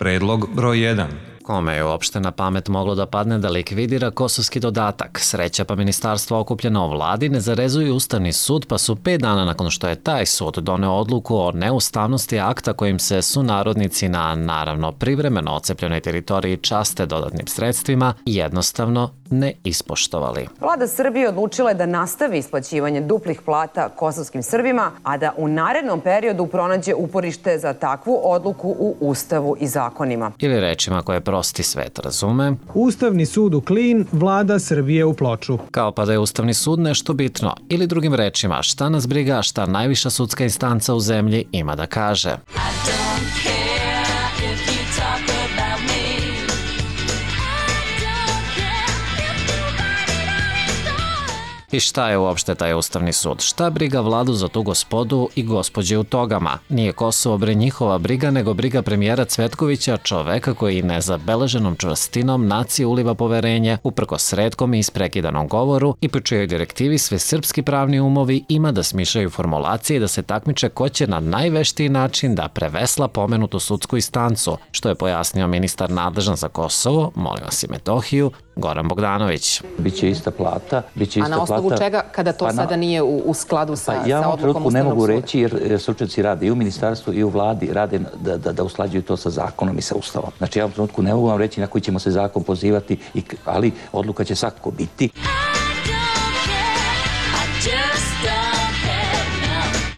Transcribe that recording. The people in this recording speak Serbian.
Predlog broj 1. Kome je uopšte na pamet moglo da padne da likvidira kosovski dodatak? Sreća pa ministarstvo okupljeno o vladi ne zarezuju Ustavni sud, pa su 5 dana nakon što je taj sud doneo odluku o neustavnosti akta kojim se sunarodnici na, naravno, privremeno ocepljenoj teritoriji časte dodatnim sredstvima, jednostavno ne ispoštovali. Vlada Srbije odlučila je da nastavi isplaćivanje duplih plata kosovskim Srbima, a da u narednom periodu pronađe uporište za takvu odluku u Ustavu i zakonima. Ili rečima koje prosti svet razume. Ustavni sud u Klin, vlada Srbije u Ploču. Kao pa da je Ustavni sud nešto bitno. Ili drugim rečima, šta nas briga, šta najviša sudska instanca u zemlji ima da kaže. I šta je uopšte taj Ustavni sud? Šta briga vladu za tu gospodu i gospođe u togama? Nije Kosovo bre njihova briga, nego briga premijera Cvetkovića, čoveka koji nezabeleženom čvrstinom naciji uliva poverenje, uprkos retkom i isprekidanom govoru i po čijoj direktivi sve srpski pravni umovi ima da smišljaju formulacije i da se takmiče ko će na najveštiji način da prevesla pomenutu sudsku instancu, što je pojasnio ministar nadležan za Kosovo, molim vas i Metohiju, Goran Bogdanović. Biće ista plata, biće ista plata. A na osnovu čega kada to sada nije u skladu sa odlukom Ustavnog suda? Ja u trenutku ne mogu reći jer stručnjaci rade i u ministarstvu i u vladi rade da usklađuju to sa zakonom i sa Ustavom. Znači ja u trenutku ne mogu vam reći na koji ćemo se zakon pozivati, ali odluka će svakako biti.